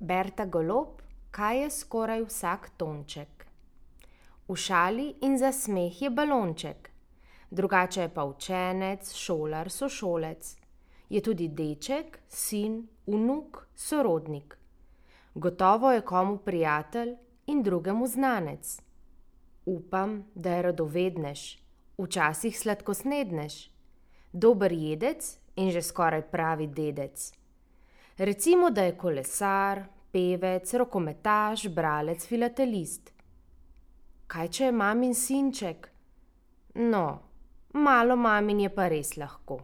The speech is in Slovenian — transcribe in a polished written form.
Berta Golob, kaj je skoraj vsak tonček? V šali in za smeh je balonček, drugače je pa učenec, šolar, sošolec. Je tudi deček, sin, vnuk, sorodnik. Gotovo je komu prijatelj in drugemu znanec. Upam, da je radovednež, včasih sladkosnednež, dober jedec in že skoraj pravi dedec. Recimo, da je kolesar, pevec, rokometaš, bralec, filatelist. Kaj če je mamin sinček? No, malo mamin je pa res lahko.